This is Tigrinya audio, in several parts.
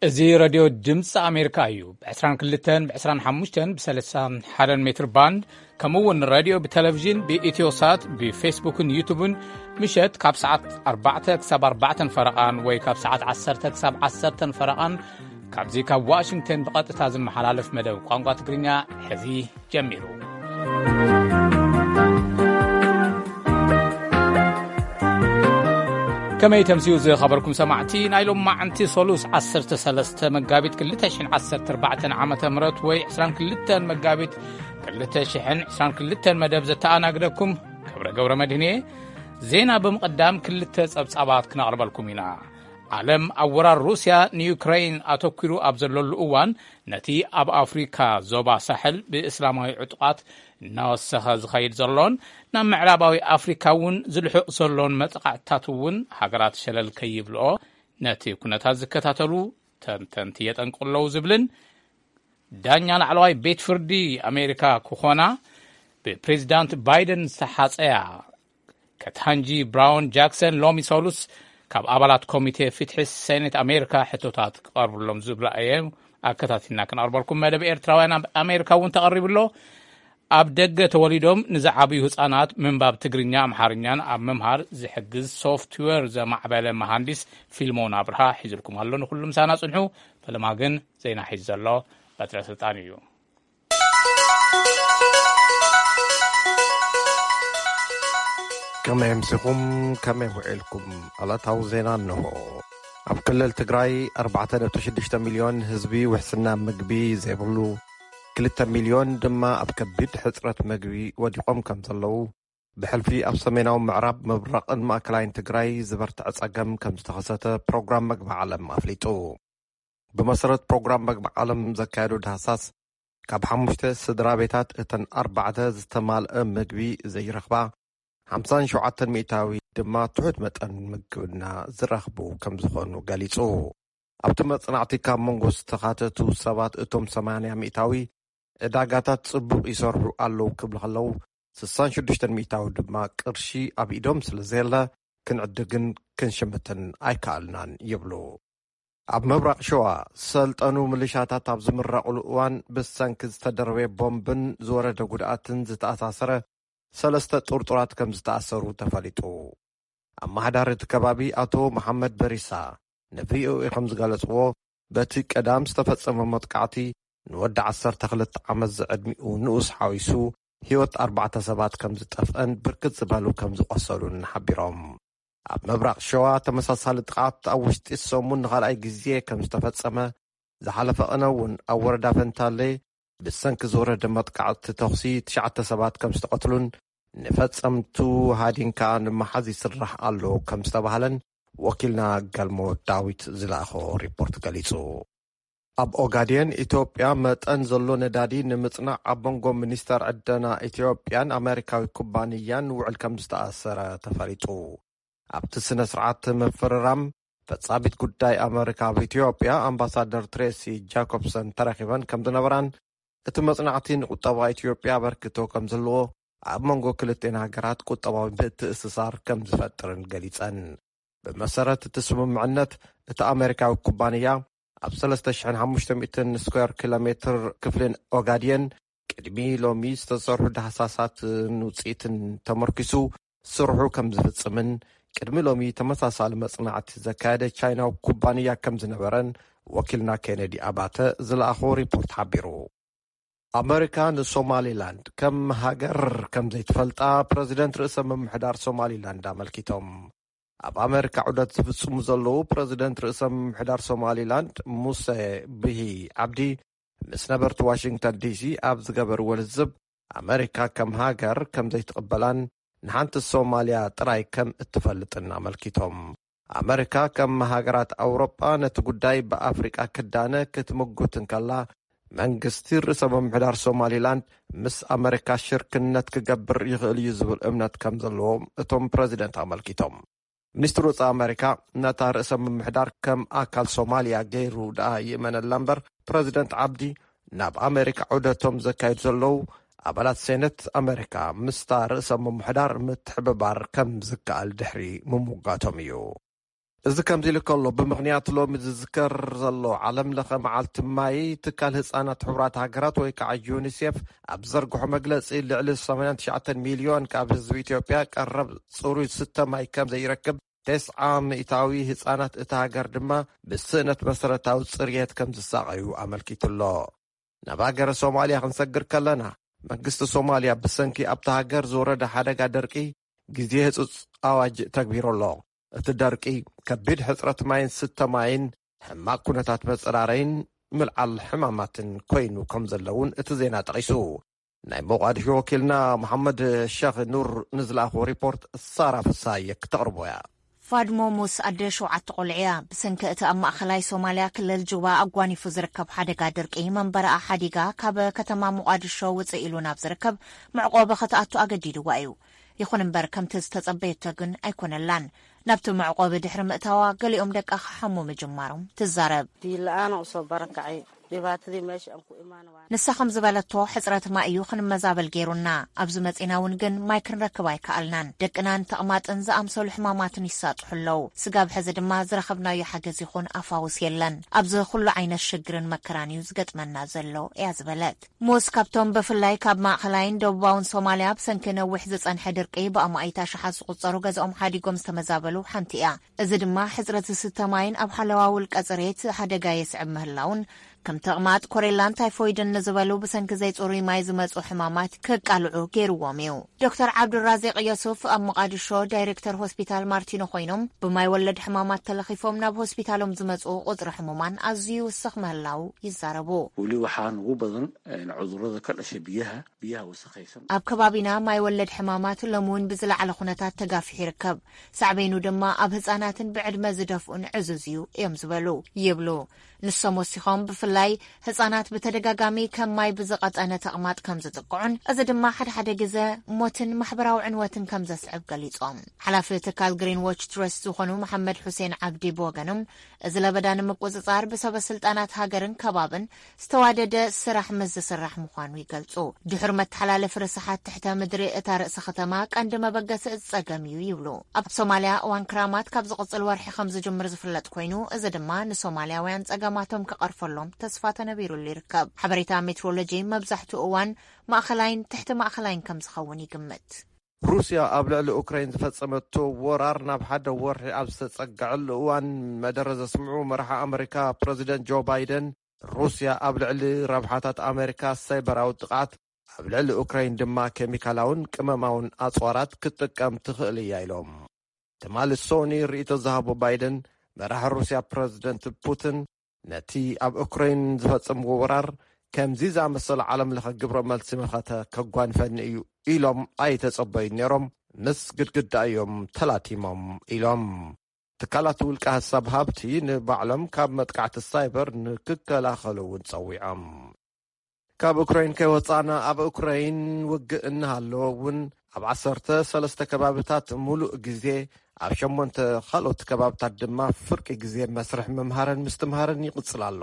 እዚ ረድዮ ድምፂ ኣሜሪካ እዩ። ብ22፣ ብ25፣ ብ31 ሜትር ባንድ፣ ከምኡ እውን ረድዮ ብቴሌቪዥን ብኢትዮሳት ብፌስቡክን ዩቱብን ምሸት ካብ ሰዓት ኣርባዕተ ክሳብ ኣርባዕተን ፈረቓን ወይ ካብ ሰዓት ዓሰርተ ክሳብ ዓሰርተን ፈረቓን ካብዚ ካብ ዋሽንግተን ብቐጥታ ዝመሓላለፍ መደብ ቋንቋ ትግርኛ ሕዚ ጀሚሩ። ከመይ ተምስዩ ዝኸበርኩም ሰማዕቲ፣ ናይ ሎማዕንቲ ሶሉስ ዓሰርተ ሰለስተ መጋቢት ክልተ ሽሕን ዓሰርተ ኣርባዕተን ዓመተ ምህረት ወይ ዕስራን ክልተን መጋቢት ክልተ ሽሕን ዕስራን ክልተን መደብ ዘተኣናግደኩም ክብረ ገብረ መድህን እየ። ዜና ብምቕዳም ክልተ ጸብጻባት ክነቕርበልኩም ኢና። ዓለም ኣብ ወራር ሩስያ ንዩክረይን ኣተኲሩ ኣብ ዘለሉ እዋን፣ ነቲ ኣብ ኣፍሪካ ዞባ ሳሕል ብእስላማዊ ዕጡቓት እናወሰኸ ዝኸይድ ዘሎን ናብ ምዕራባዊ ኣፍሪካ እውን ዝልሕቕ ዘሎን መጥቓዕትታት እውን ሃገራት ሸለል ከይብልኦ ነቲ ኩነታት ዝከታተሉ ተንተንቲ የጠንቅቑ ኣለዉ ዝብልን ዳኛ ላዕለዋይ ቤት ፍርዲ ኣሜሪካ ክኾና ብፕሬዚዳንት ባይደን ዝተሓፀያ ከታንጂ ብራውን ጃክሰን ሎሚ ሰሉስ ካብ ኣባላት ኮሚቴ ፍትሒ ሴኔት ኣሜሪካ ሕቶታት ክቐርብሎም ዝብላ እየ። ኣከታቲልና ክንቐርበልኩም መደብ ኤርትራውያን ኣብ ኣሜሪካ እውን ተቐሪቡ ኣሎ። ኣብ ደገ ተወሊዶም ንዝዓብዩ ህጻናት ምንባብ ትግርኛ ኣምሓርኛን ኣብ ምምሃር ዝሕግዝ ሶፍትዌር ዘማዕበለ መሃንዲስ ፊልሞን ኣብርሃ ሒዝልኩም ኣሎ። ንኹሉ ምሳና ጽንሑ። ፈለማ ግን ዜና ሒዙ ዘሎ በትረ ስልጣን እዩ። ከመይ ኣምሲኹም? ከመይ ውዒልኩም? ዕለታዊ ዜና እንሆ። ኣብ ክልል ትግራይ ኣርባዕተ ነጥቢ ሽዱሽተ ሚልዮን ህዝቢ ውሕስና ምግቢ ዘይብሉ፣ ክልተ ሚልዮን ድማ ኣብ ከቢድ ሕጽረት ምግቢ ወዲቖም ከም ዘለዉ ብሕልፊ ኣብ ሰሜናዊ ምዕራብ ምብራቕን ማእከላይን ትግራይ ዝበርትዐ ጸገም ከም ዝተኸሰተ ፕሮግራም መግቢ ዓለም ኣፍሊጡ። ብመሰረት ፕሮግራም መግቢ ዓለም ዘካየዶ ዳህሳስ፣ ካብ ሓሙሽተ ስድራ ቤታት እተን ኣርባዕተ ዝተማልአ ምግቢ ዘይረኽባ፣ ሓምሳን ሸውዓተን ሚእታዊ ድማ ትሑት መጠን ምግብና ዝረኽቡ ከም ዝኾኑ ገሊጹ። ኣብቲ መጽናዕቲ ካብ መንጎ ዝተኻተቱ ሰባት እቶም ሰማንያ ሚእታዊ ዕዳጋታት ጽቡቕ ይሰርሑ ኣለዉ ክብሉ ከለዉ፣ ስሳን ሽዱሽተን ሚእታዊ ድማ ቅርሺ ኣብ ኢዶም ስለ ዘየለ ክንዕድግን ክንሽምትን ኣይከኣልናን ይብሉ። ኣብ ምብራቕ ሸዋ ሰልጠኑ ምልሻታት ኣብ ዝምረቕሉ እዋን ብሰንኪ ዝተደርበየ ቦምብን ዝወረደ ጉድኣትን ዝተኣሳሰረ ሰለስተ ጥርጡራት ከም ዝተኣሰሩ ተፈሊጡ። ኣመሓዳሪ እቲ ከባቢ ኣቶ መሓመድ በሪሳ ንቪኦኤ ከም ዝገለጽዎ፣ በቲ ቀዳም ዝተፈጸመ መጥቃዕቲ ንወዲ ዓሰርተ ክልተ ዓመት ዝዕድሚኡ ንኡስ ሓዊሱ ህይወት ኣርባዕተ ሰባት ከም ዝጠፍአን ብርክት ዝበሉ ከም ዝቖሰሉን ሓቢሮም። ኣብ ምብራቕ ሸዋ ተመሳሳሊ ጥቕዓት ኣብ ውሽጢ ሰሙን ንኻልኣይ ግዜ ከም ዝተፈጸመ፣ ዝሓለፈ ቅነ እውን ኣብ ወረዳ ፈንታሌ ብሰንኪ ዝወረደ መጥቃዕቲ ተኹሲ ትሽዓተ ሰባት ከም ዝተቐትሉን ንፈጸምቱ ሃዲንካ ንምሓዝ ይስራሕ ኣሎ ከም ዝተባህለን ወኪልና ገልሞ ዳዊት ዝለኣኾ ሪፖርት ገሊጹ። ኣብ ኦጋዴን ኢትዮጵያ መጠን ዘሎ ነዳዲ ንምጽናዕ ኣብ መንጎ ሚኒስተር ዕደና ኢትዮጵያን ኣሜሪካዊ ኩባንያን ውዕል ከም ዝተኣሰረ ተፈሊጡ። ኣብቲ ስነ ስርዓት ምፍርራም ፈጻሚት ጉዳይ ኣሜሪካ ኣብ ኢትዮጵያ ኣምባሳደር ትሬሲ ጃኮብሰን ተረኺበን ከም ዝነበራን እቲ መጽናዕቲ ንቁጠባ ኢትዮጵያ ኣበርክቶ ከም ዝህልዎ ኣብ መንጎ ክልቴን ሃገራት ቁጠባዊ ምትእስሳር ከም ዝፈጥርን ገሊጸን። ብመሰረት እቲ ስምምዕነት፣ እቲ ኣሜሪካዊ ኩባንያ ኣብ ሰለስተ ሽሕን ሓሙሽተ ሚእትን ስኩዌር ኪሎ ሜትር ክፍልን ኦጋድየን ቅድሚ ሎሚ ዝተሰርሑ ዳህሳሳትን ውጽኢትን ተመርኪሱ ስርሑ ከም ዝፍጽምን፣ ቅድሚ ሎሚ ተመሳሳሊ መጽናዕቲ ዘካየደ ቻይናዊ ኩባንያ ከም ዝነበረን ወኪልና ኬነዲ ኣባተ ዝለኣኾ ሪፖርት ሓቢሩ። ኣመሪካ ንሶማሊላንድ ከም ሃገር ከም ዘይትፈልጣ ፕረዚደንት ርእሰ ምምሕዳር ሶማሊላንድ ኣመልኪቶም። ኣብ ኣመሪካ ዑደት ዝፍጽሙ ዘለዉ ፕረዚደንት ርእሰ ምምሕዳር ሶማሊላንድ ሙሴ ብሂ ዓብዲ ምስ ነበርቲ ዋሽንግተን ዲሲ ኣብ ዝገበርዎ ልዝብ፣ ኣመሪካ ከም ሃገር ከም ዘይትቕበላን ንሓንቲ ሶማልያ ጥራይ ከም እትፈልጥን ኣመልኪቶም። ኣመሪካ ከም ሃገራት ኣውሮጳ ነቲ ጉዳይ ብኣፍሪቃ ክዳነ ክትምጉት እንከላ፣ መንግስቲ ርእሰ ምምሕዳር ሶማሊላንድ ምስ ኣመሪካ ሽርክነት ክገብር ይኽእል እዩ ዝብል እምነት ከም ዘለዎም እቶም ፕረዚደንት ኣመልኪቶም። ሚኒስትር ወጻኢ ኣመሪካ ነታ ርእሰ ምምሕዳር ከም ኣካል ሶማልያ ገይሩ ደኣ ይእመነላ እምበር፣ ፕረዚደንት ዓብዲ ናብ ኣመሪካ ዑደቶም ዘካይዱ ዘለዉ ኣባላት ሴነት ኣመሪካ ምስታ ርእሰ ምምሕዳር ምትሕብባር ከም ዝከኣል ድሕሪ ምምጓቶም እዩ። እዚ ከምዚ ኢሉ ከሎ፣ ብምኽንያት ሎሚ ዝዝከር ዘሎ ዓለም ለኸ መዓልቲ ማይ፣ ትካል ህጻናት ሕቡራት ሃገራት ወይ ከዓ ዩኒሴፍ ኣብ ዘርግሖ መግለጺ፣ ልዕሊ ሰማንያን ትሽዓተን ሚልዮን ካብ ህዝቢ ኢትዮጵያ ቀረብ ጽሩይ ዝስተ ማይ ከም ዘይረክብ፣ ተስዓ ሚእታዊ ህጻናት እታ ሃገር ድማ ብስእነት መሰረታዊ ጽርየት ከም ዝሳቐዩ ኣመልኪቱ ኣሎ። ናብ ሃገረ ሶማልያ ክንሰግር ከለና፣ መንግስቲ ሶማልያ ብሰንኪ ኣብታ ሃገር ዝወረደ ሓደጋ ደርቂ ግዜ ህጹጽ ኣዋጅ ተግቢሩ ኣሎ። እቲ ደርቂ ከቢድ ሕጽረት ማይን ስተ ማይን፣ ሕማቕ ኩነታት መጽራረይን ምልዓል ሕማማትን ኮይኑ ከም ዘለውን እቲ ዜና ጠቒሱ። ናይ ሞቓዲሾ ወኪልና መሓመድ ሸኽ ኑር ንዝለኣኾ ሪፖርት ሳራ ፍሳየ ክተቕርቦ እያ። ፋድሞ ሙስ ኣደ ሸውዓተ ቆልዑ እያ። ብሰንኪ እቲ ኣብ ማእኸላይ ሶማልያ ክልል ጁባ ኣጓኒፉ ዝርከብ ሓደጋ ድርቂ መንበረኣ ሓዲጋ ካብ ከተማ ሞቓዲሾ ውፅእ ኢሉ ናብ ዝርከብ መዕቆቢ ክትኣቱ ኣገዲድዋ እዩ። ይኹን እምበር ከምቲ ዝተጸበየቶ ግን ኣይኮነላን። ናብቲ መዕቆቢ ድሕሪ ምእታዋ ገሊኦም ደቃ ክሓሙ ምጅማሮም ትዛረብ። Diin la'aan u soo barakacay. Dhibaatadii meesha aan ku imaan waa ንሳ ከም ዝበለቶ፣ ሕጽረት ማይ እዩ ክንመዛበል ገይሩና። ኣብዚ መጺና እውን ግን ማይ ክንረክብ ኣይከኣልናን። ደቅናን ተቕማጥን ዝኣምሰሉ ሕማማትን ይሳጥሑ ኣለዉ። ስጋብ ሕዚ ድማ ዝረኸብናዮ ሓገዝ ይኹን ኣፋውስ የለን። ኣብዚ ኩሉ ዓይነት ሽግርን መከራን እዩ ዝገጥመና ዘሎ፣ እያ ዝበለት። ሙስ ካብቶም ብፍላይ ካብ ማእኸላይን ደቡባውን ሶማልያ ብሰንኪ ነዊሕ ዝጸንሐ ድርቂ ብኣማኢት ኣሽሓት ዝቑጸሩ ገዛኦም ሓዲጎም ዝተመዛበሉ ሓንቲ እያ። እዚ ድማ ሕጽረት ዝስተ ማይን ኣብ ሓለዋ ውልቀ ጽሬት ሓደጋ የስዕብ ምህላውን፣ ከም ተቕማጥ፣ ኮሬላን ታይፎይድን ንዝበሉ ብሰንኪ ዘይጽሩይ ማይ ዝመጹ ሕማማት ከቃልዑ ገይርዎም እዩ። ዶክተር ዓብዱራዚቅ የሱፍ ኣብ ሞቓዲሾ ዳይሬክተር ሆስፒታል ማርቲኖ ኮይኖም፣ ብማይ ወለድ ሕማማት ተለኺፎም ናብ ሆስፒታሎም ዝመጹ ቁጽሪ ሕሙማን ኣዝዩ ይውስኽ ምህላው ይዛረቡ። Weli waxaan ugu badan, een, cudurrada ka dhasha biyaha, biyaha wasakhaysan. ኣብ ከባቢና ማይ ወለድ ሕማማት ሎም እውን ብዝለዓለ ኩነታት ተጋፊሑ ይርከብ። ሳዕቤኑ ድማ ኣብ ህጻናትን ብዕድመ ዝደፍኡን ዕዙዝ እዩ እዮም ዝበሉ፣ ይብሉ። ንሶም ወሲኾም፣ ብፍላይ ህጻናት ብተደጋጋሚ ከም ማይ ብዝቐጠነ ተቕማጥ ከም ዝጥቅዑን፣ እዚ ድማ ሓደ ሓደ ግዘ ሞትን ማሕበራዊ ዕንወትን ከም ዘስዕብ ገሊጾም። ሓላፊ ትካል ግሪን ዎች ትረስት ዝኾኑ መሓመድ ሑሴን ዓብዲ ብወገኖም፣ እዚ ለበዳ ንምቁጽጻር ብሰበ ስልጣናት ሃገርን ከባብን ዝተዋደደ ስራሕ ምስ ዝስራሕ ምዃኑ ይገልጹ። ድሑር መተሓላለፊ ርስሓት ትሕተ ምድሪ እታ ርእሰ ከተማ ቀንዲ መበገሲ እዚ ጸገም እዩ ይብሉ። ኣብ ሶማልያ እዋን ክራማት ካብ ዝቕጽል ወርሒ ከም ዝጅምር ዝፍለጥ ኮይኑ፣ እዚ ድማ ንሶማልያውያን ጸገማቶም ክቐርፈሎም ተስፋ ተነቢሩሉ ይርከብ። ሓበሬታ ሜትሮሎጂ መብዛሕትኡ እዋን ማእኸላይን ትሕቲ ማእኸላይን ከም ዝኸውን ይግምት። ሩስያ ኣብ ልዕሊ ኡክራይን ዝፈጸመቶ ወራር ናብ ሓደ ወርሒ ኣብ ዝተጸግዐሉ እዋን፣ መደረ ዘስምዑ መራሒ ኣመሪካ ፕረዚደንት ጆ ባይደን፣ ሩስያ ኣብ ልዕሊ ረብሓታት ኣመሪካ ሳይበራዊ ጥቕዓት፣ ኣብ ልዕሊ ኡክራይን ድማ ኬሚካላውን ቅመማውን ኣጽዋራት ክትጥቀም ትኽእል እያ ኢሎም። ትማሊ ሶኒ ርእይቶ ዝሃቦ ባይደን፣ መራሒ ሩስያ ፕረዚደንት ፑቲን ነቲ ኣብ ኡክራይን ዝፈጸምዎ ወራር ከምዚ ዝኣመሰለ ዓለም ለኸ ግብረ መልሲ መኸተ ከጓንፈኒ እዩ ኢሎም ኣይተጸበዩን ነይሮም፣ ምስ ግድግዳ እዮም ተላቲሞም ኢሎም። ትካላት ውልቀ ሐሳብ ሃብቲ ንባዕሎም ካብ መጥቃዕቲ ሳይበር ንክከላኸሉ እውን ጸዊዖም። ካብ ኡክራይን ከይወጻና፣ ኣብ ኡክራይን ውግእ እናሃለወ እውን ኣብ ዓሰርተ ሰለስተ ከባብታት ሙሉእ ግዜ፣ ኣብ ሸሞንተ ካልኦት ከባብታት ድማ ፍርቂ ግዜ መስርሕ ምምሃርን ምስትምሃርን ይቕጽል ኣሎ።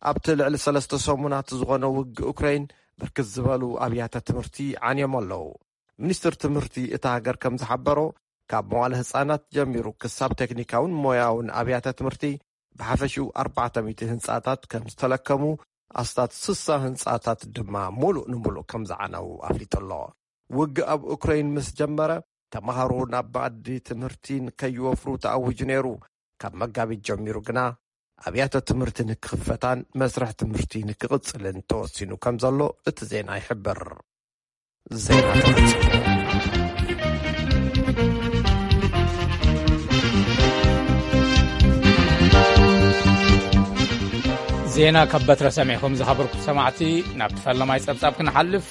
ኣብቲ ልዕሊ ሰለስተ ሰሙናት ዝኾነ ውግእ ኡክራይን ብርክት ዝበሉ ኣብያተ ትምህርቲ ዓንዮም ኣለዉ። ሚኒስትር ትምህርቲ እታ ሃገር ከም ዝሓበሮ፣ ካብ መዋለ ህጻናት ጀሚሩ ክሳብ ቴክኒካውን ሞያውን ኣብያተ ትምህርቲ ብሓፈሽኡ ኣርባዕተ ሚእቲ ህንጻታት ከም ዝተለከሙ፣ ኣስታት ስሳ ህንጻታት ድማ ሙሉእ ንሙሉእ ከም ዝዓነው ኣፍሊጡ ኣሎ። ውግእ ኣብ ኡክራይን ምስ ጀመረ፣ ተማሃሮ ናብ መኣዲ ትምህርቲ ንከይወፍሩ ተኣዊጁ ነይሩ። ካብ መጋቢት ጀሚሩ ግና ኣብያተ ትምህርቲ ንክኽፈታን መስርሕ ትምህርቲ ንክቕጽልን ተወሲኑ ከም ዘሎ እቲ ዜና ይሕብር። ዜና ተፈጺሙ። ዜና ካብ በትረ ሰሚዕኹም ዝኸበርኩም ሰማዕቲ፣ ናብቲ ፈለማይ ጸብጻብ ክንሓልፍ።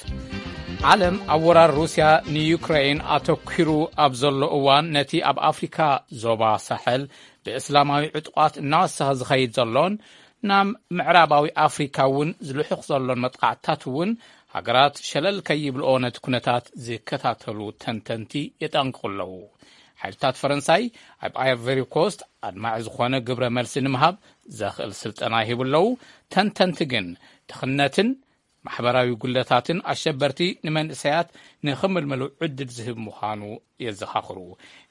ዓለም ኣብ ወራር ሩስያ ንዩክሬን ኣተኲሩ ኣብ ዘሎ እዋን፣ ነቲ ኣብ ኣፍሪካ ዞባ ሳሕል ብእስላማዊ ዕጡቓት እናወሰኸ ዝኸይድ ዘሎን ናብ ምዕራባዊ ኣፍሪካ እውን ዝልሑኽ ዘሎን መጥቃዕትታት እውን፣ ሃገራት ሸለል ከይብልኦ ነቲ ኩነታት ዝከታተሉ ተንተንቲ የጠንቅቑ ኣለዉ። ሓይልታት ፈረንሳይ ኣብ ኣይቨሪ ኮስት ኣድማዒ ዝኾነ ግብረ መልሲ ንምሃብ ዘኽእል ስልጠና ይህቡ ኣለዉ። ተንተንቲ ግን ድኽነትን ማሕበራዊ ጉለታትን ኣሸበርቲ ንመንእሰያት ንኽምልመሉ ዕድል ዝህብ ምዃኑ የዘኻኽሩ።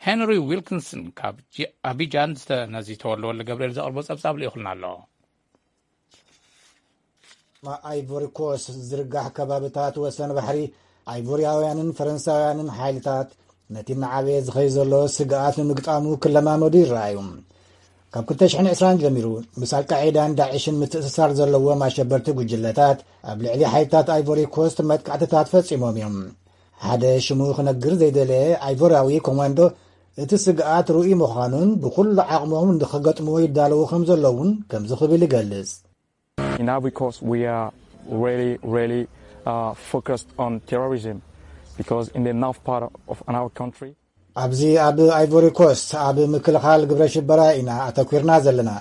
ሄንሪ ዊልኪንስን ካብ ኣቢጃን ዝተነዚተወለወለ ገብርኤል ዘቕርቦ ጸብጻብ ልኢኹልና ኣሎ። ኣይቮሪ ኮስት ዝርጋሕ ከባብታት ወሰን ባሕሪ ኣይቮርያውያንን ፈረንሳውያንን ሓይልታት ነቲ እናዓበየ ዝኸይ ዘሎ ስግኣት ንምግጣሙ ክለማመዱ ይረኣዩ። ካብ ክልተ ሽሕን ዕስራን ጀሚሩ ምስ ኣልቃዒዳን ዳዕሽን ምትእስሳር ዘለዎም ኣሸበርቲ ጉጅለታት ኣብ ልዕሊ ሓይልታት ኣይቮሪ ኮስት መጥቃዕትታት ፈጺሞም እዮም። ሓደ ሽሙ ክነግር ዘይደለየ ኣይቮራዊ ኮማንዶ እቲ ስግኣት ርኡይ ምዃኑን ብኹሉ ዓቕሞም ንኽገጥምዎ ይዳለዉ ከም ዘለውን ከምዚ ክብል ይገልጽ። In Ivory Coast, we are really, really uh, focused on terrorism because in the north part of our country, ኣብዚ ኣብ ኣይቮሪ ኮስት ኣብ ምክልኻል ግብረ ሽበራ ኢና ኣተኲርና ዘለና።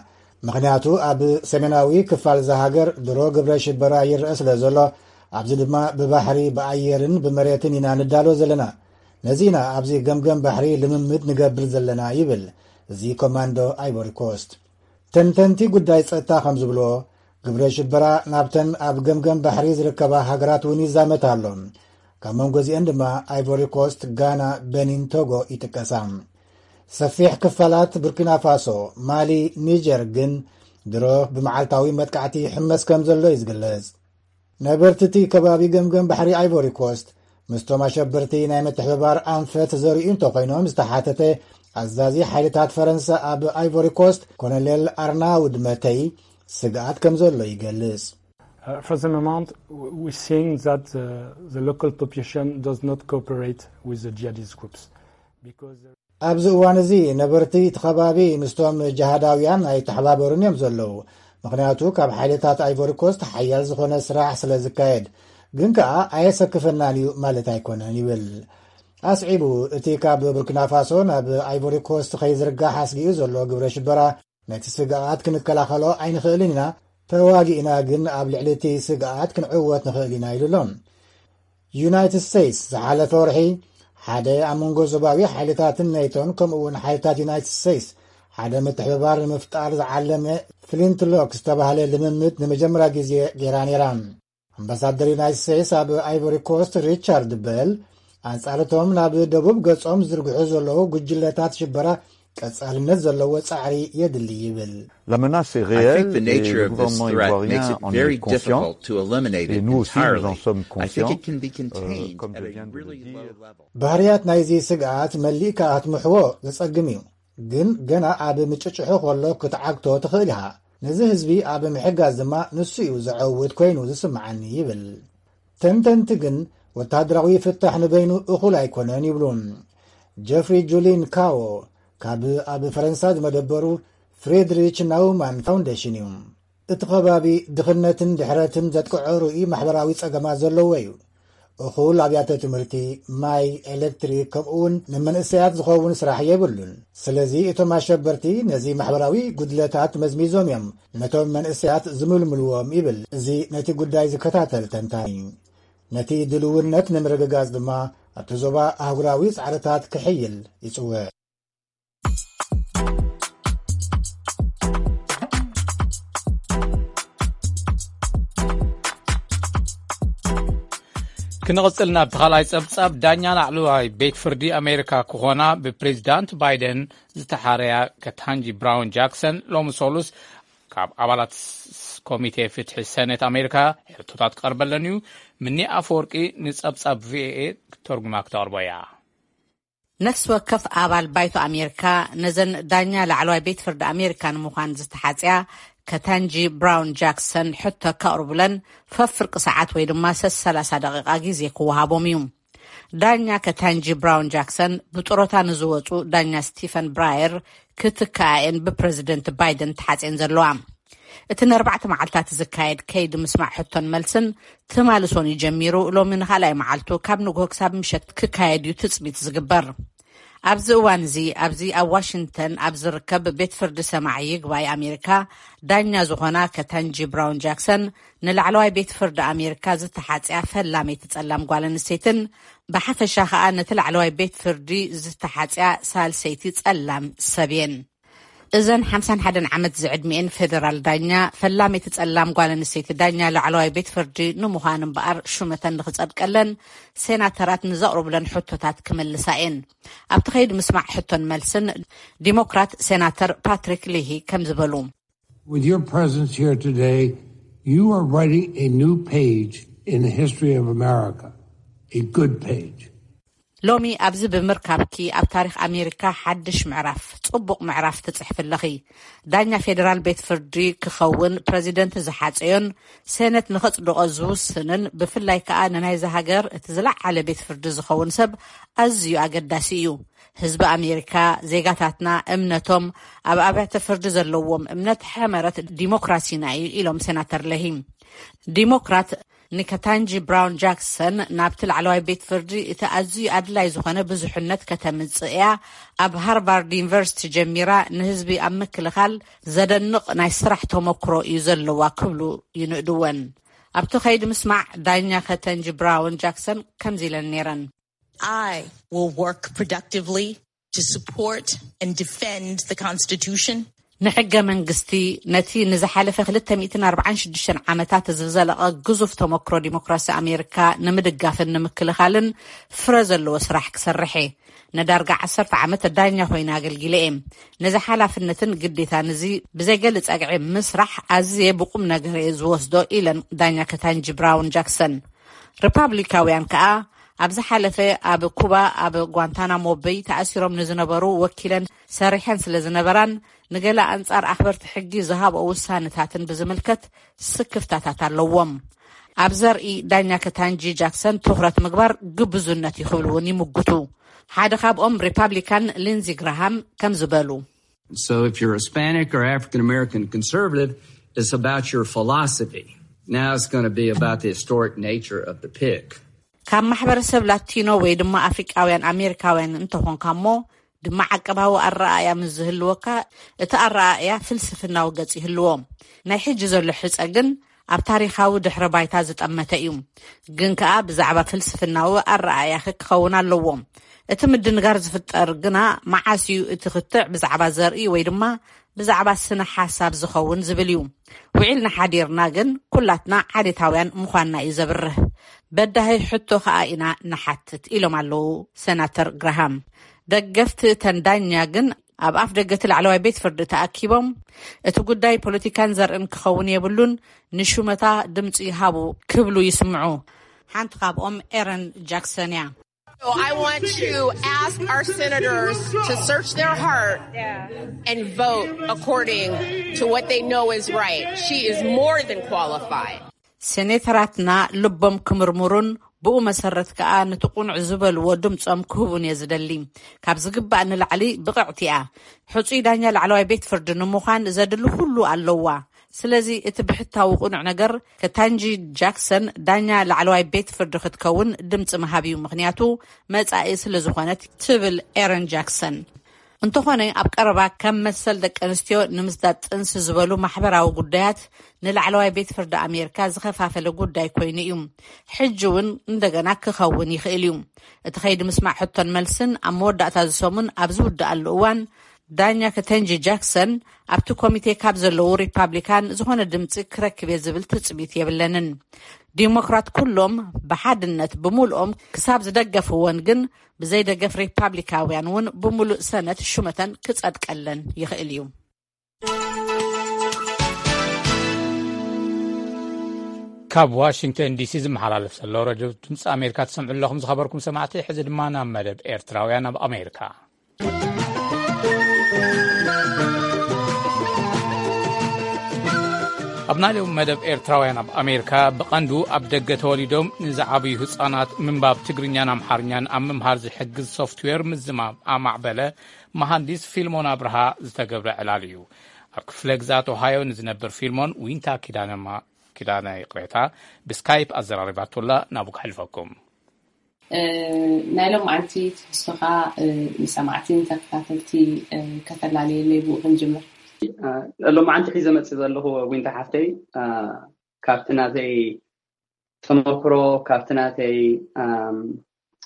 ምኽንያቱ ኣብ ሰሜናዊ ክፋል እዛ ሃገር ድሮ ግብረ ሽበራ ይረአ ስለ ዘሎ፣ ኣብዚ ድማ ብባሕሪ ብኣየርን ብመሬትን ኢና ንዳሎ ዘለና። ነዚ ኢና ኣብዚ ገምገም ባሕሪ ልምምድ ንገብር ዘለና ይብል እዚ ኮማንዶ ኣይቮሪ ኮስት። ተንተንቲ ጉዳይ ጸጥታ ከም ዝብልዎ፣ ግብረ ሽበራ ናብተን ኣብ ገምገም ባሕሪ ዝርከባ ሃገራት እውን ይዛመት ኣሎ። ካብ መንጎ እዚአን ድማ ኣይቮሪ ኮስት፣ ጋና፣ በኒን፣ ቶጎ ይጥቀሳ። ሰፊሕ ክፋላት ቡርኪና ፋሶ፣ ማሊ፣ ኒጀር ግን ድሮ ብመዓልታዊ መጥቃዕቲ ይሕመስ ከም ዘሎ እዩ ዝግለጽ። ነበርቲ እቲ ከባቢ ገምገም ባሕሪ ኣይቮሪ ኮስት ምስቶም ኣሸበርቲ ናይ ምትሕብባር ኣንፈት ዘርእዩ እንተኾይኖም ዝተሓተተ ኣዛዚ ሓይልታት ፈረንሳ ኣብ ኣይቮሪ ኮስት ኮሎኔል ኣርናውድ መተይ ስግኣት ከም ዘሎ ይገልጽ። Uh, for the moment, w- we're seeing that the, the local population does not cooperate with the jihadist groups because ኣብዚ እዋን እዚ ነበርቲ እቲ ከባቢ ምስቶም ጅሃዳውያን ኣይተሓባበሩን እዮም ዘለዉ። ምኽንያቱ ካብ ሓይልታት ኣይቮሪ ኮስት ሓያል ዝኾነ ስራሕ ስለ ዝካየድ፣ ግን ከኣ ኣየሰክፈናን እዩ ማለት ኣይኮነን ይብል። ኣስዒቡ፣ እቲ ካብ ቡርኪና ፋሶ ናብ ኣይቮሪ ኮስት ከይዝርጋሕ ኣስጊኡ ዘሎ ግብረ ሽበራ ነቲ ስግኣት ክንከላኸሎ ኣይንኽእልን ኢና፣ ተዋጊእና ግን ኣብ ልዕሊ እቲ ስግኣት ክንዕወት ንኽእል ኢና ኢሉ ኣሎ። ዩናይትድ ስቴትስ ዝሓለፈ ወርሒ ሓደ ኣብ መንጎ ዞባዊ ሓይልታትን ኔቶን ከምኡ እውን ሓይልታት ዩናይትድ ስቴትስ ሓደ ምትሕብባር ንምፍጣር ዝዓለመ ፍሊንት ሎክ ዝተባህለ ልምምድ ንመጀመርያ ግዜ ገይራ ነይራ። ኣምባሳደር ዩናይትድ ስቴትስ ኣብ ኣይቮሪ ኮስት ሪቻርድ በል ኣንጻርቶም ናብ ደቡብ ገጾም ዝዝርግሑ ዘለዉ ጉጅለታት ሽበራ ቀጻልነት ዘለዎ ጻዕሪ የድሊ ይብል። La menace est I think réelle the et nature le of this gouvernement threat ivoirien makes it en very est conscient. difficult to eliminate Et it nous aussi, nous en entirely. sommes I think conscients. It can be Euh, contained comme at je a viens de le really dire, low level. ባህርያት ናይዚ ስግኣት መሊእካ ክትምሕዎ ዘጸግም እዩ፣ ግን ገና ኣብ ምጭጭሑ ከሎ ክትዓግቶ ትኽእል ኢኻ። ነዚ ህዝቢ ኣብ ምሕጋዝ ድማ ንሱ እዩ ዘዐውት ኮይኑ ዝስምዓኒ ይብል። ተንተንቲ ግን ወታደራዊ ፍታሕ ንበይኑ እኹል ኣይኮነን ይብሉ። ጀፍሪ ጁሊን ካዎ ካብ ኣብ ፈረንሳ ዝመደበሩ ፍሬድሪች ናውማን ፋውንዴሽን እዩ። እቲ ከባቢ ድኽነትን ድሕረትን ዘጥቅዖ ርኡይ ማሕበራዊ ጸገማት ዘለዎ እዩ። እኹል ኣብያተ ትምህርቲ፣ ማይ፣ ኤሌክትሪክ፣ ከምኡውን ንመንእሰያት ዝኸውን ስራሕ የብሉን። ስለዚ እቶም ኣሸበርቲ ነዚ ማሕበራዊ ጉድለታት መዝሚዞም እዮም ነቶም መንእሰያት ዝምልምልዎም ይብል እዚ ነቲ ጉዳይ ዝከታተል ተንታኒ። ነቲ ድልውነት ንምርግጋጽ ድማ ኣብቲ ዞባ ኣህጉራዊ ጻዕርታት ክሕይል ይጽውዕ። ክንቕጽል ናብቲ ካልኣይ ጸብጻብ። ዳኛ ላዕለዋይ ቤት ፍርዲ ኣሜሪካ ክኾና ብፕሬዚዳንት ባይደን ዝተሓረያ ከታንጂ ብራውን ጃክሰን ሎሚ ሰሉስ ካብ ኣባላት ኮሚቴ ፍትሒ ሰኔት ኣሜሪካ ሕቶታት ክቐርበለን እዩ። ምኒ ኣፈወርቂ ንጸብጻብ ቪኦኤ ክተርጉማ ክተቕርቦ እያ። ነፍሲ ወከፍ ኣባል ባይቶ ኣሜሪካ ነዘን ዳኛ ላዕለዋይ ቤት ፍርዲ ኣሜሪካ ንምዃን ዝተሓጽያ ከታንጂ ብራውን ጃክሰን ሕቶ ከቕርቡለን ፈፍርቂ ሰዓት ወይ ድማ ሰላሳ ደቂቓ ግዜ ክወሃቦም እዩ። ዳኛ ከታንጂ ብራውን ጃክሰን ብጥሮታ ንዝወጹ ዳኛ ስቲፈን ብራየር ክትከኣየን ብፕረዚደንት ባይደን ተሓጽየን ዘለዋ። እቲ ንኣርባዕተ መዓልታት ዝካየድ ከይዲ ምስማዕ ሕቶን መልስን ትማሊ ሰኑይ ጀሚሩ ሎሚ ንኻልኣይ መዓልቱ ካብ ንግሆ ክሳብ ምሸት ክካየድ እዩ ትጽቢት ዝግበር። ኣብዚ እዋን እዚ ኣብዚ ኣብ ዋሽንግተን ኣብ ዝርከብ ቤት ፍርዲ ሰማዒ ይግባይ ኣሜሪካ ዳኛ ዝኾና ከታንጂ ብራውን ጃክሰን ንላዕለዋይ ቤት ፍርዲ ኣሜሪካ ዝተሓጽያ ፈላመይቲ ጸላም ጓል ኣንስተይትን ብሓፈሻ ከኣ ነቲ ላዕለዋይ ቤት ፍርዲ ዝተሓጽያ ሳልሰይቲ ጸላም ሰብ እየን። እዘን ሓምሳን ሓደን ዓመት ዝዕድሚኤን ፌደራል ዳኛ ፈላመይቲ ጸላም ጓል ኣንስተይቲ ዳኛ ላዕለዋይ ቤት ፍርዲ ንምዃን እምበኣር ሹመተን ንክጸድቀለን ሴናተራት ንዘቕርቡለን ሕቶታት ክምልሳ እየን። ኣብቲ ከይዲ ምስማዕ ሕቶን መልስን ዲሞክራት ሴናተር ፓትሪክ ሊሂ ከም ዝበሉ With your presence here today, you are writing a new page in the history of America, a good page. ሎሚ ኣብዚ ብምርካብኪ ኣብ ታሪኽ ኣሜሪካ ሓድሽ ምዕራፍ፣ ጽቡቕ ምዕራፍ ትጽሕፊ ኣለኺ። ዳኛ ፌደራል ቤት ፍርዲ ክኸውን ፕረዚደንት ዝሓጸዮን ሴነት ንኸጽድቖ ዝውስንን ብፍላይ ከኣ ንናይዚ ሃገር እቲ ዝለዓለ ቤት ፍርዲ ዝኸውን ሰብ ኣዝዩ ኣገዳሲ እዩ። ህዝቢ ኣሜሪካ፣ ዜጋታትና እምነቶም ኣብ ኣብያተ ፍርዲ ዘለዎም እምነት ሕመረት ዲሞክራሲና እዩ ኢሎም ሴናተር ለሂ። ዲሞክራት ንከታንጂ ብራውን ጃክሰን ናብቲ ላዕለዋይ ቤት ፍርዲ እቲ ኣዝዩ ኣድላይ ዝኾነ ብዙሕነት ከተምጽእ እያ። ኣብ ሃርቫርድ ዩኒቨርሲቲ ጀሚራ ንህዝቢ ኣብ ምክልኻል ዘደንቕ ናይ ስራሕ ተመክሮ እዩ ዘለዋ ክብሉ ይንእድወን። ኣብቲ ከይዲ ምስማዕ ዳኛ ከተንጂ ብራውን ጃክሰን ከምዚ ኢለን ነይረን። I will work productively to support and defend the Constitution. ንሕገ መንግስቲ ነቲ ንዝሓለፈ ክልተ ሚእትን ኣርባዓን ሽዱሽተን ዓመታት ዝዘለቐ ግዙፍ ተመክሮ ዲሞክራሲ ኣሜሪካ ንምድጋፍን ንምክልኻልን ፍረ ዘለዎ ስራሕ ክሰርሕ እየ። ንዳርጋ ዓሰርተ ዓመት ዳኛ ኮይነ ኣገልጊለ እየ። ነዚ ሓላፍነትን ግዴታን እዚ ብዘይገሊ ጸግዒ ምስራሕ ኣዝየ ብቁም ነገር እየ ዝወስዶ ኢለን ዳኛ ከታንጂ ብራውን ጃክሰን። ሪፓብሊካውያን ከኣ ኣብ ዝሓለፈ ኣብ ኩባ ኣብ ጓንታናሞ በይ ተኣሲሮም ንዝነበሩ ወኪለን ሰሪሐን ስለ ዝነበራን ንገለ ኣንጻር ኣኽበርቲ ሕጊ ዝሃብኦ ውሳነታትን ብዝምልከት ስክፍታታት ኣለዎም። ኣብ ዘርኢ ዳኛ ከታንጂ ጃክሰን ትኹረት ምግባር ግብዙነት እዩ ክብሉ እውን ይምጉቱ። ሓደ ካብኦም ሪፓብሊካን ሊንዚ ግራሃም ከም ዝበሉ So if you're Hispanic or African American conservative, it's about your philosophy. Now it's going to be about the historic nature of the pick. ካብ ማሕበረሰብ ላቲኖ ወይ ድማ ኣፍሪቃውያን ኣሜሪካውያን እንተኾንካ እሞ ድማ ዓቀባዊ ኣረኣእያ ምስ ዝህልወካ እቲ ኣረኣእያ ፍልስፍናዊ ገጽ ይህልዎ። ናይ ሕጂ ዘሎ ሕጸ ግን ኣብ ታሪኻዊ ድሕረ ባይታ ዝጠመተ እዩ። ግን ከኣ ብዛዕባ ፍልስፍናዊ ኣረኣእያኺ ክኸውን ኣለዎ። እቲ ምድንጋር ዝፍጠር ግና መዓስ እዩ እቲ ክትዕ ብዛዕባ ዘርኢ ወይ ድማ ብዛዕባ ስነ ሓሳብ ዝኸውን ዝብል እዩ። ውዒልና ሓዲርና ግን ኩላትና ዓሌታውያን ምዃንና እዩ ዘብርህ። በዳሂ ሕቶ ከኣ ኢና ንሓትት ኢሎም ኣለዉ ሰናተር ግራሃም። ደገፍቲ እተን ዳኛ ግን ኣብ ኣፍ ደገ እቲ ላዕለዋይ ቤት ፍርዲ ተኣኪቦም እቲ ጉዳይ ፖለቲካን ዘርእን ክኸውን የብሉን፣ ንሹመታ ድምፂ ይሃቡ ክብሉ ይስምዑ። ሓንቲ ካብኦም ኤረን ጃክሰን እያ። So I want to ask our senators to search their heart and vote according to what they know is right. She is more than qualified. ሴኔተራትና ልቦም ክምርምሩን ብኡ መሰረት ከኣ ነቲ ቁኑዕ ዝበልዎ ድምጾም ክህቡን እየ ዝደሊ። ካብ ዝግባእ ንላዕሊ ብቕዕቲ እያ። ሕጹይ ዳኛ ላዕለዋይ ቤት ፍርዲ ንምዃን ዘድሊ ኩሉ ኣለዋ። ስለዚ እቲ ብሕታዊ ቁኑዕ ነገር ከታንጂ ጃክሰን ዳኛ ላዕለዋይ ቤት ፍርዲ ክትከውን ድምጺ ምሃብ እዩ፣ ምኽንያቱ መጻኢ ስለ ዝኾነት ትብል ኤረን ጃክሰን። እንተኾነ ኣብ ቀረባ ከም መሰል ደቂ ኣንስትዮ ንምስዳድ ጥንሲ ዝበሉ ማሕበራዊ ጉዳያት ንላዕለዋይ ቤት ፍርዲ ኣሜሪካ ዝኸፋፈለ ጉዳይ ኮይኑ እዩ። ሕጂ እውን እንደገና ክኸውን ይኽእል እዩ። እቲ ከይዲ ምስማዕ ሕቶን መልስን ኣብ መወዳእታ እዚ ሰሙን ኣብ ዝውድኣሉ እዋን ዳኛ ከተንጂ ጃክሰን ኣብቲ ኮሚቴ ካብ ዘለዉ ሪፓብሊካን ዝኾነ ድምፂ ክረክብ እየ ዝብል ትፅቢት የብለንን። ዲሞክራት ኩሎም ብሓድነት ብምልኦም ክሳብ ዝደገፍወን ግን ብዘይደገፍ ሪፓብሊካውያን እውን ብምሉእ ሰነት ሹመተን ክጸድቀለን ይኽእል እዩ። ካብ ዋሽንግተን ዲሲ ዝመሓላለፍ ዘሎ ረድዮ ድምፂ ኣሜሪካ ትሰምዑ ኣለኹም። ዝኸበርኩም ሰማዕቲ፣ ሕዚ ድማ ናብ መደብ ኤርትራውያን ኣብ ኣሜሪካ። ኣብ ናይ ሎም መደብ ኤርትራውያን ኣብ ኣሜሪካ ብቐንዱ ኣብ ደገ ተወሊዶም ንዝዓብዩ ህጻናት ምንባብ ትግርኛን ኣምሓርኛን ኣብ ምምሃር ዝሕግዝ ሶፍትዌር ምዝማም ኣማዕበለ መሃንዲስ ፊልሞን ኣብርሃ ዝተገብረ ዕላል እዩ። ኣብ ክፍለ ግዛት ኦሃዮ ንዝነብር ፊልሞን ዊንታ ኪዳነማ-፣ ኪዳነ ይቕሬታ ብስካይፕ ኣዘራሪባቶላ ናብኡ ከሕልፈኩም። ናይ ሎማዓንቲ ትሕዝቶኻ ንሰማዕቲ ንተከታተልቲ ከተላለየለይ ብኡ ክንጅምር። ሎማዓንቲ ሒዘ መፅእ ዘለኹ ዊንታ ሓፍተይ፣ ካብቲ ናተይ ተመክሮ፣ ካብቲ ናተይ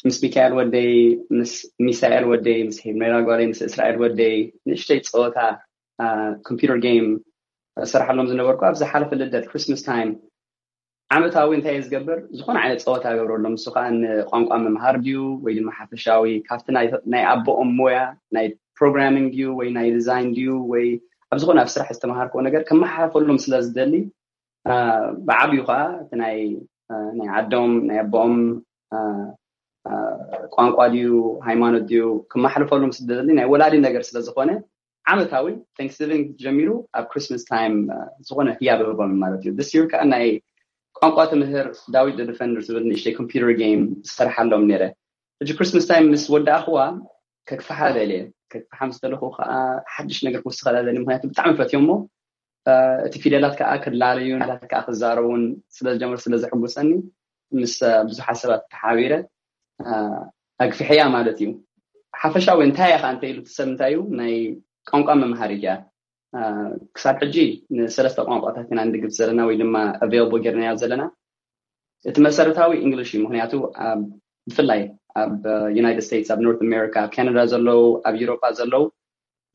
ምስ ሚካኤል ወደይ፣ ምስ ሚሳኤል ወደይ፣ ምስ ሄሜራ ጓለይ፣ ምስ እስራኤል ወደይ ንእሽተይ ፀወታ ኮምፒውተር ጌም እሰርሓሎም ዝነበርኩ፣ ኣብ ዝሓለፈ ልደት፣ ክሪስማስ ታይም፣ ዓመታዊ እንታይ እየ ዝገብር? ዝኾነ ዓይነት ፀወታ እገብረሎም። ንሱ ከዓ ንቋንቋ ምምሃር ድዩ ወይ ድማ ሓፈሻዊ ካብቲ ናይ ኣቦኦም ሞያ ናይ ፕሮግራሚንግ ድዩ ወይ ናይ ዲዛይን ድዩ ወይ ኣብ ዝኾነ ኣብ ስራሕ ዝተምሃርክዎ ነገር ከመሓላልፈሎም ስለ ዝደሊ፣ ብዓብዩ ከዓ እቲ ናይ ናይ ዓዶም ናይ ኣቦኦም ቋንቋ ድዩ ሃይማኖት ድዩ ክመሓልፈሎም ስለ ዝደሊ ናይ ወላዲ ነገር ስለ ዝኾነ ዓመታዊ ታንክስጊቪንግ ጀሚሩ ኣብ ክሪስማስ ታይም ዝኾነ ህያብ ህቦም ማለት እዩ። ስ ይር ከዓ ናይ ቋንቋ ትምህር ዳዊት ደ ዲፈንደር ዝብል ንእሽተይ ኮምፒውተር ጌም ዝሰርሓሎም ነይረ። ሕጂ ክሪስማስ ታይም ምስ ወዳእኽዋ ከግፍሓ ደልየ። ከግፍሓ ምስ ደለኹ ከዓ ሓድሽ ነገር ክውስኸላ ደልየ፣ ምክንያቱ ብጣዕሚ ፈትዮ እሞ እቲ ፊደላት ከዓ ክላለዩ ላት ከዓ ክዛረቡን ስለ ዝጀመሩ ስለ ዘሕጉሰኒ ምስ ብዙሓት ሰባት ተሓቢረ ኣግፍሐያ ማለት እዩ። ሓፈሻዊ እንታይ ኢኻ እንተ ኢሉ እቲ ሰብ እንታይ እዩ ናይ ቋንቋ መምሃሪት እያ። ክሳብ ሕጂ ንሰለስተ ቋንቋታት ኢና ንድግፍ ዘለና ወይ ድማ ኣቬይላብል ጌርናዮ ዘለና። እቲ መሰረታዊ እንግሊሽ እዩ። ምክንያቱ ብፍላይ ኣብ ዩናይትድ ስቴትስ፣ ኣብ ኖርት ኣሜሪካ፣ ኣብ ካናዳ ዘለዉ፣ ኣብ ዩሮፓ ዘለዉ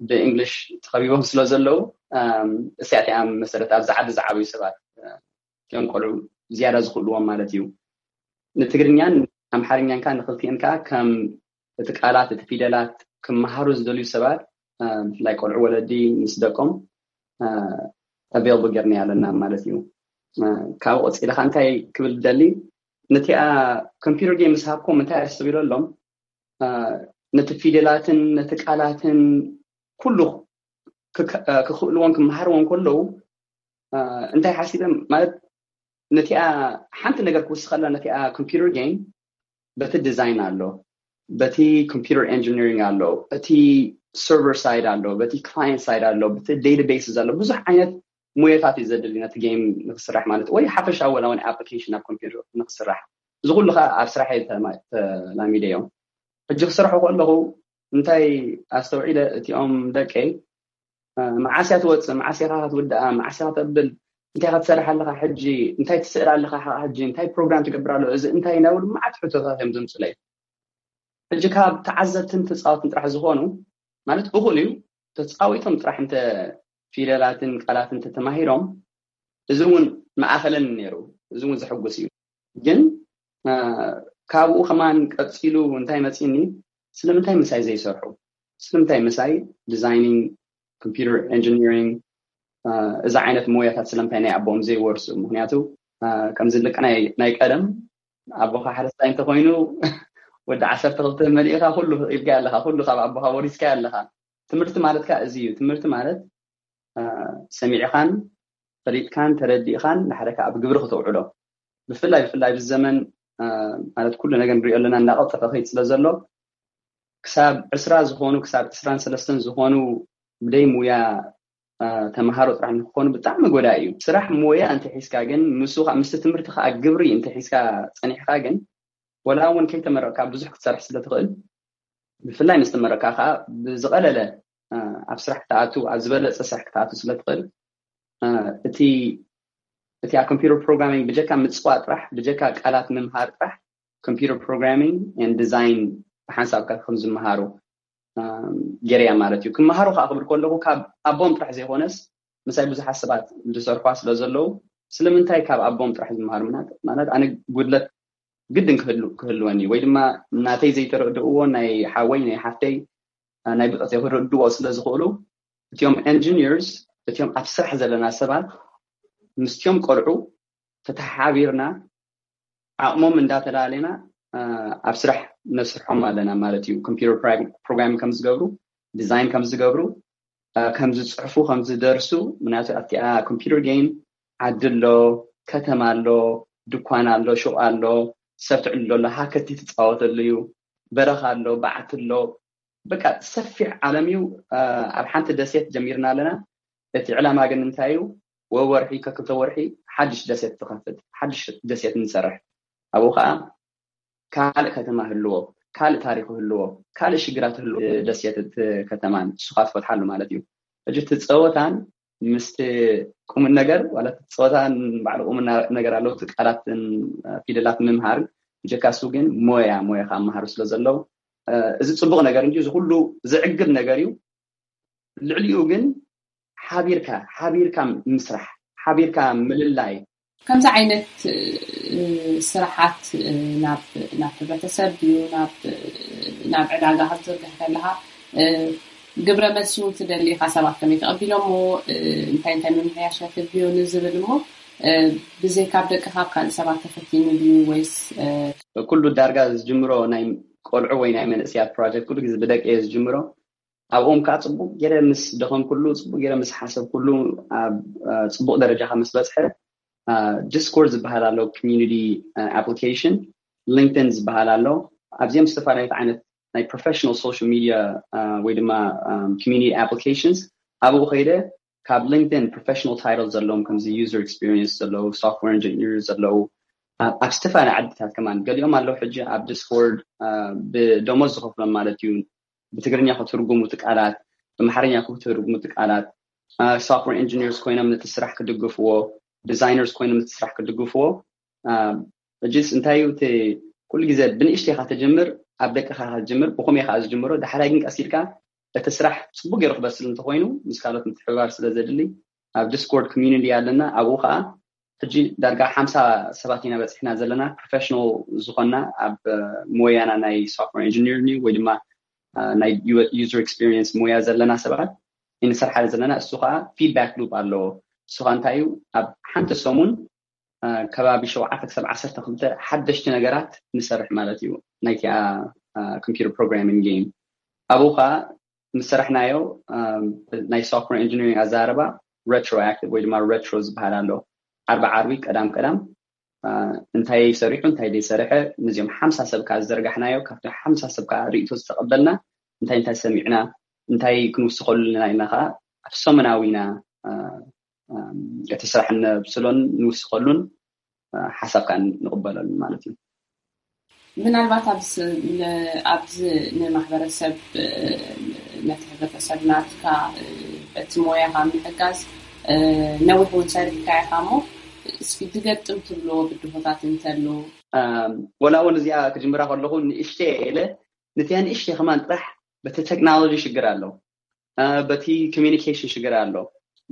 ብእንግሊሽ ተኸቢቦም ስለ ዘለዉ እሲያት እያ መሰረት ኣብዚ ዓዲ ዝዓብዩ ሰባት እዮም ቆልዑ ዝያዳ ዝኽእልዎም ማለት እዩ። ንትግርኛን ኣምሓርኛን ከዓ ንክልቲኤን ከዓ ከም እቲ ቃላት እቲ ፊደላት ክመሃሩ ዝደልዩ ሰባት ብፍላይ ቆልዑ ወለዲ ምስ ደቆም ኣቬይላብል ጌርና ኣለና ማለት እዩ። ካብ ቆፂለ ከዓ እንታይ ክብል ደሊ ነቲኣ ኮምፒውተር ጌም ምስ ሃብኮም እንታይ ኣስተቢለሎም ነቲ ፊደላትን ነቲ ቃላትን ኩሉ ክክእልዎን ክመሃርዎን ከለዉ እንታይ ሓሲበ ማለት ነቲኣ ሓንቲ ነገር ክውስኸላ ነቲኣ ኮምፒውተር ጌም በቲ ዲዛይን ኣሎ፣ በቲ ኮምፒውተር ኢንጂኒሪንግ ኣሎ፣ እቲ ሰርቨር ሳይድ ኣሎ፣ በቲ ክላየንት ሳይድ ኣሎ፣ በቲ ዳታቤስ ኣሎ። ብዙሕ ዓይነት ሙያታት እዩ ዘድሊ ነቲ ጌም ንክስራሕ ማለት ወይ ሓፈሻዊ ወላ እውን ኣፕሊኬሽን ኣብ ኮምፒውተር ንክስራሕ። እዚ ኩሉ ከዓ ኣብ ስራሕ ተላሚደ እዮም። ሕጂ ክሰርሑ ከለኹ እንታይ ኣስተውዒለ እቲኦም ደቀይ መዓስ እያ ትወፅእ፣ መዓስ ኢኻ ክትውድኣ፣ መዓስ ኢኻ ተብል፣ እንታይ ክትሰርሕ ኣለኻ ሕጂ፣ እንታይ ትስእል ኣለኻ ሕጂ፣ እንታይ ፕሮግራም ትገብር ኣሎ፣ እዚ እንታይ እናብሉ መዓት ሕቶታት እዮም ዘምፅለይ። ሕጂ ካብ ተዓዘብትን ተፃወትን ጥራሕ ዝኾኑ ማለት እኹል እዩ። ተፃዊቶም ጥራሕ እንተ ፊደላትን ቃላትን ተተማሂሮም እዚ እውን መኣኸለን ነይሩ። እዚ እውን ዘሐጉስ እዩ። ግን ካብኡ ከማን ቀፂሉ እንታይ መፂኒ፣ ስለምንታይ ምሳይ ዘይሰርሑ? ስለምንታይ ምሳይ ዲዛይኒንግ፣ ኮምፒውተር ኢንጂኒሪንግ፣ እዚ ዓይነት ሞያታት ስለምንታይ ናይ ኣቦኦም ዘይወርሱ? ምክንያቱ ከምዚ ልቂ ናይ ቀደም ኣቦኻ ሓረስታይ እንተኮይኑ ወዲ ዓሰርተ ክልተ መሊእካ ኩሉ ኢልካ ኣለካ፣ ኩሉ ካብ ኣቦኻ ወሪስካ ኣለካ። ትምህርቲ ማለት ከዓ እዚ እዩ። ትምህርቲ ማለት ሰሚዕኻን ፈሊጥካን ተረዲእኻን ንሓደ ከዓ ኣብ ግብሪ ክተውዕሎ፣ ብፍላይ ብፍላይ ኣብዚ ዘመን ማለት ኩሉ ነገር ንሪኦ ኣለና እናቐልጠፈ ከይድ ስለ ዘሎ ክሳብ ዕስራ ዝኾኑ ክሳብ ዕስራን ሰለስተን ዝኾኑ ብደይ ሙያ ተምሃሮ ጥራሕ ንክኾኑ ብጣዕሚ ጎዳኢ እዩ። ስራሕ ሞያ እንተሒዝካ ግን ምስ ምስቲ ትምህርቲ ከዓ ግብሪ እንተሒዝካ ፀኒሕካ ግን ወላ እውን ከይተመረቕካ ብዙሕ ክትሰርሕ ስለ ትኽእል ብፍላይ ምስ ተመረቕካ ከዓ ብዝቐለለ ኣብ ስራሕ ክትኣቱ ኣብ ዝበለፀ ስራሕ ክትኣቱ ስለ ትኽእል እቲ እቲ ኣብ ኮምፒውተር ፕሮግራሚንግ ብጀካ ምፅዋ ጥራሕ ብጀካ ቃላት ምምሃር ጥራሕ ኮምፒውተር ፕሮግራሚንግ ን ዲዛይን ብሓንሳብካ ከም ዝመሃሩ ገይረያ ማለት እዩ። ክመሃሩ ከዓ ክብል ከለኹ ካብ ኣቦም ጥራሕ ዘይኮነስ ምሳይ ብዙሓት ሰባት ዝሰርኳ ስለ ዘለዉ ስለምንታይ ካብ ኣቦም ጥራሕ ዝመሃሩ ማለት ኣነ ጉድለት ግድን ክህልወኒ ወይ ድማ ናተይ ዘይተረድእዎ ናይ ሓወይ ናይ ሓፍተይ ናይ ብፀተይ ክረድዎ ስለ ዝኽእሉ እቲኦም ኢንጂኒርስ እቲኦም ኣብ ስራሕ ዘለና ሰባት ምስቲኦም ቆልዑ ተተሓቢርና ዓቕሞም እንዳተላለና ኣብ ስራሕ ነስርሖም ኣለና ማለት እዩ። ኮምፒውተር ፕሮግራም ከም ዝገብሩ ዲዛይን ከም ዝገብሩ ከም ዝፅሕፉ ከም ዝደርሱ ምክንያቱ ኣብቲኣ ኮምፒውተር ጌም ዓዲ ኣሎ፣ ከተማ ኣሎ፣ ድኳን ኣሎ፣ ሹቕ ኣሎ፣ ሰብ ትዕልሎ ኣሎ፣ ሃከቲ ትፃወተሉ እዩ፣ በረኻ ኣሎ፣ በዓቲ ኣሎ። በቃ ሰፊሕ ዓለም እዩ። ኣብ ሓንቲ ደሴት ጀሚርና ኣለና። እቲ ዕላማ ግን እንታይ እዩ? ወወርሒ ከክልተ ወርሒ ሓድሽ ደሴት ትኸፍት፣ ሓድሽ ደሴት ንሰርሕ። ኣብኡ ከዓ ካልእ ከተማ ህልዎ፣ ካልእ ታሪክ ህልዎ፣ ካልእ ሽግራት ህልዎ ደሴት እቲ ከተማን ንስኻ ትፈትሓሉ ማለት እዩ። ሕጂ እቲ ፀወታን ምስቲ ቁም ነገር ዋላ እቲ ፀወታን ባዕሉ ቁም ነገር ኣለዎ። እቲ ቃላትን ፊደላት ምምሃር ብጀካሱ ግን ሞያ ሞያ ከመሃሩ ስለ ዘለዉ እዚ ፅቡቕ ነገር እንጂ እዚ ኩሉ ዝዕግብ ነገር እዩ። ልዕሊኡ ግን ሓቢርካ ሓቢርካ ምስራሕ ሓቢርካ ምልላይ ከምዚ ዓይነት ስራሓት ናብ ናብ ሕብረተሰብ ድዩ ናብ ናብ ዕዳጋ ክትዝርግሕ ከለካ ግብረ መልሲ እውን ትደሊ ኢካ ሰባት ከመይ ተቐቢሎሞ እንታይ እንታይ ምምሕያሽ ክትብዮ ንዝብል እሞ ብዘይካብ ደቂ ካብ ካልእ ሰባት ተፈቲኑ ድዩ ወይስ ኩሉ ዳርጋ ዝጅምሮ ናይ ቆልዑ ወይ ናይ መንእስያት ፕሮጀክት ኩሉ ግዜ ብደቂ እየ ዝጅምሮ ኣብኦም ከዓ ፅቡቅ ገይረ ምስ ደኸምኩሉ ፅቡቅ ገይረ ምስ ሓሰብኩሉ ኣብ ፅቡቅ ደረጃ ምስ በፅሐ ዲስኮርድ ዝበሃል ኣሎ ኮሚኒቲ ኣፕሊኬሽን ሊንክድን ዝበሃል ኣሎ ኣብዚኦም ዝተፈላለዩ ዓይነት ናይ ፕሮፌሽናል ሶሻል ሚድያ ወይ ድማ ኮሚኒቲ ኣፕሊኬሽንስ ኣብኡ ከይደ ካብ ሊንክድን ፕሮፌሽናል ታይትል ዘለዎም ከምዚ ዩዘር ኤክስፒሪየንስ ዘለዉ ሶፍትዌር ኢንጂኒር ዘለዉ ኣብ ዝተፈላለዩ ዓድታት ከማን ገሊኦም ኣለዉ ሕጂ ኣብ ዲስኮርድ ብደሞዝ ዝኸፍሎም ማለት እዩ ብትግርኛ ክትርጉሙ እቲ ቃላት ብኣምሓርኛ ክትርጉሙ እቲ ቃላት ሶፍትዌር ኢንጂኒርስ ኮይኖም ነቲ ስራሕ ክድግፍዎ ዲዛይነርስ ኮይኖም ነቲ ስራሕ ክድግፍዎ እጅስ እንታይ እዩ እቲ ኩሉ ግዜ ብንእሽተይ ኢኻ ትጅምር ኣብ ደቅኻ ኢኻ ትጅምር ብኹም ኢኻ ዝጅምሮ ዳሕራይ ግን ቀስ ኢልካ እቲ ስራሕ ፅቡቅ ገይሩ ክበስል እንተኮይኑ ምስ ካልኦት ምትሕብባር ስለ ዘድሊ ኣብ ዲስኮርድ ኮሚኒቲ ኣለና ኣብኡ ከዓ ሕጂ ዳርጋ ሓምሳ ሰባት ኢና በፂሕና ዘለና ፕሮፌሽናል ዝኾና ኣብ ሞያና ናይ ሶፍትዌር ኢንጂኒር ወይ ድማ ናይ ዩዘር ኤክስፒሪየንስ ሞያ ዘለና ሰባት ንሰርሓ ዘለና እሱ ከዓ ፊድባክ ሉፕ ኣለዎ እሱ ከዓ እንታይ እዩ ኣብ ሓንቲ ሰሙን ከባቢ ሸውዓተ ክሳብ ዓሰርተ ክልተ ሓደሽቲ ነገራት ንሰርሕ ማለት እዩ ናይቲኣ ኮምፒተር ፕሮግራሚንግ ጌም ኣብኡ ከዓ ምስ ሰራሕናዮ ናይ ሶፍትዌር ኢንጂኒሪንግ ኣዛረባ ሬትሮኣክቲቭ ወይ ድማ ሬትሮ ዝበሃል ኣሎ ዓርቢ ዓርቢ ቀዳም ቀዳም እንታይ ሰሪሑ እንታይ ዘይሰርሐ ነዚኦም ሓምሳ ሰብ ከዓ ዝዘርጋሕናዮ ካብቲ ሓምሳ ሰብ ከዓ ርእቶ ዝተቐበልና እንታይ እንታይ ሰሚዕና እንታይ ክንውስኸሉ ኣለና ኢልና ከዓ ኣብ ሰሙናዊ ኢና እቲ ስራሕ ነብስሎን ንውስኸሉን ሓሳብ ከዓ ንቕበለሉ ማለት እዩ ምናልባት ኣብዚ ንማሕበረሰብ ነቲ ሕብረተሰብ ናትካ በቲ ሞያኻ ምሕጋዝ ነዊሕ እውን ሰሪሕካ ኢኻ እሞ እስኪ ድገጥም ትብልዎ ብድሆታት እንተሎ ወላ እውን እዚኣ ክጅምራ ከለኹ ንእሽተ ኢለ ነቲያ ንእሽተ ከማን ጥራሕ በቲ ቴክኖሎጂ ሽግር ኣለዉ በቲ ኮሚኒኬሽን ሽግር ኣሎ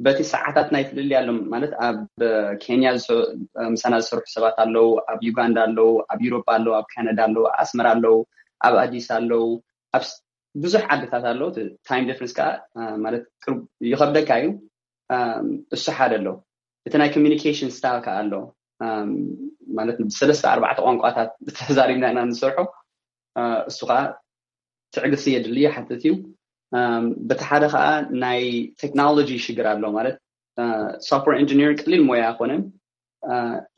በቲ ሰዓታት ናይ ፍልልይ ኣሎ ማለት ኣብ ኬንያ ምሳና ዝሰርሑ ሰባት ኣለዉ ኣብ ዩጋንዳ ኣለዉ ኣብ ዩሮፓ ኣለዉ ኣብ ካናዳ ኣለዉ ኣስመራ ኣለዉ ኣብ ኣዲስ ኣለዉ ኣብ ብዙሕ ዓድታት ኣለዉ ታይም ዲፍረንስ ከዓ ማለት ይኸብደካ እዩ እሱ ሓደ ኣሎ እቲ ናይ ኮሚኒኬሽን ስታይል ከዓ ኣሎ ማለት ብሰለስተ ኣርባዕተ ቋንቋታት ተዛሪብና ኢና ንሰርሖ እሱ ከዓ ትዕግስቲ የድሊ ይሓትት እዩ በቲ ሓደ ከዓ ናይ ቴክኖሎጂ ሽግር ኣሎ ማለት ሶፍትዌር ኢንጂኒሪንግ ቀሊል ሞያ ኣይኮነን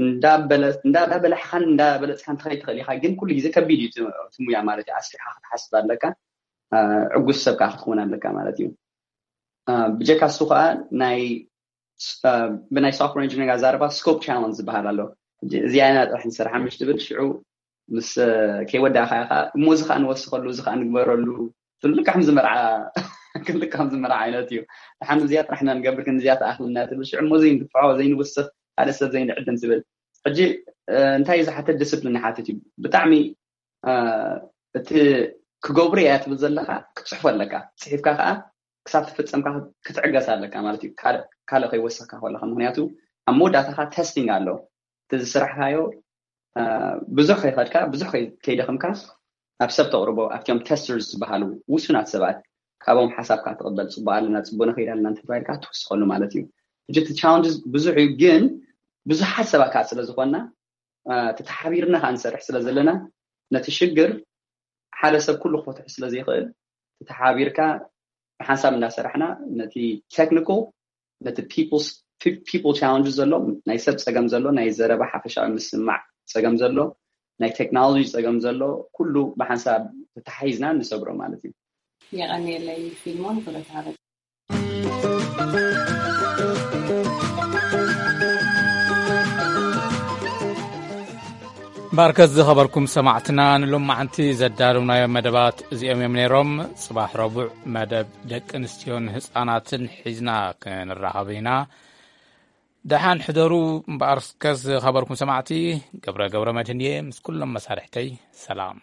እንዳበላሕኻን እንዳበለፅካን ትኸይድ ትኽእል ኢኻ ግን ኩሉ ግዜ ከቢድ እዩ እቲ ሙያ ማለት እዩ ኣስፊሕካ ክትሓስብ ኣለካ ዕጉስ ሰብ ከዓ ክትኸውን ኣለካ ማለት እዩ ብጀካ እሱ ከዓ ናይ ብናይ ሶፍትዌር ኢንጂኒሪንግ ኣዛረባ ስኮፕ ቻለንጅ ዝበሃል ኣሎ እዚኣ ኢና ጥራሕ ንሰርሓ ምሽ ትብል ሽዑ ምስ ከይወዳእካ ኢኻ እሞ እዚ ከዓ ንወስኸሉ እዚ ከዓ ንግበረሉ ትብል ልክዕ ከምዚ መርዓ ልክዕ ከምዚ መርዓ ዓይነት እዩ ድሓን እዚኣ ጥራሕና ንገብር ግን እዚኣ ተኣኽልና ትብል ሽዑ እሞ ዘይንግፍዖ ዘይንውስኽ ሓደ ሰብ ዘይንዕድም ትብል ሕጂ እንታይ እዩ ዝሓትት ዲስፕሊን ይሓትት እዩ ብጣዕሚ እቲ ክገብሩ እያ ትብል ዘለካ ክትፅሕፎ ኣለካ ፅሒፍካ ከዓ ክሳብ ተፈፀምካ ክትዕገስ ኣለካ ማለት እዩ ካልእ ከይወሰካ ከለካ ምክንያቱ ኣብ መወዳእታካ ተስቲንግ ኣሎ እቲ ዝስራሕካዮ ብዙሕ ከይኸድካ ብዙሕ ከይደኽምካ ኣብ ሰብ ተቕርቦ ኣብቲኦም ተስተርስ ዝበሃሉ ውሱናት ሰባት ካብኦም ሓሳብካ ትቕበል ፅቡቅ ኣለና ፅቡቅ ንኸይድ ኣለና እንተተባሂልካ ትውስኸሉ ማለት እዩ ሕጂ እቲ ቻለንጅስ ብዙሕ እዩ ግን ብዙሓት ሰባት ከዓ ስለ ዝኾንና ተተሓቢርና ከዓ ንሰርሕ ስለ ዘለና ነቲ ሽግር ሓደ ሰብ ኩሉ ክፈትሑ ስለ ዘይኽእል ተተሓቢርካ ብሓንሳብ እንዳሰራሕና ነቲ ቴክኒካል ነቲ ፒፕል ቻለንጅ ዘሎ ናይ ሰብ ፀገም ዘሎ ናይ ዘረባ ሓፈሻዊ ምስማዕ ፀገም ዘሎ ናይ ቴክኖሎጂ ፀገም ዘሎ ኩሉ ብሓንሳብ ተተሓሒዝና ንሰግሮ ማለት እዩ የቐንየለይ ፊልሞን ክብረት ሃበ ባርከት ዝኸበርኩም ሰማዕትና፣ ንሎማዓንቲ ዘዳለውናዮም መደባት እዚኦም እዮም ነይሮም። ጽባሕ ረቡዕ መደብ ደቂ ኣንስትዮን ህጻናትን ሒዝና ክንራኸብ ኢና። ደሓን ሕደሩ። እምበኣር እስከ ዝኸበርኩም ሰማዕቲ፣ ገብረ ገብረ መድህን እየ፣ ምስ ኩሎም መሳርሕተይ ሰላም።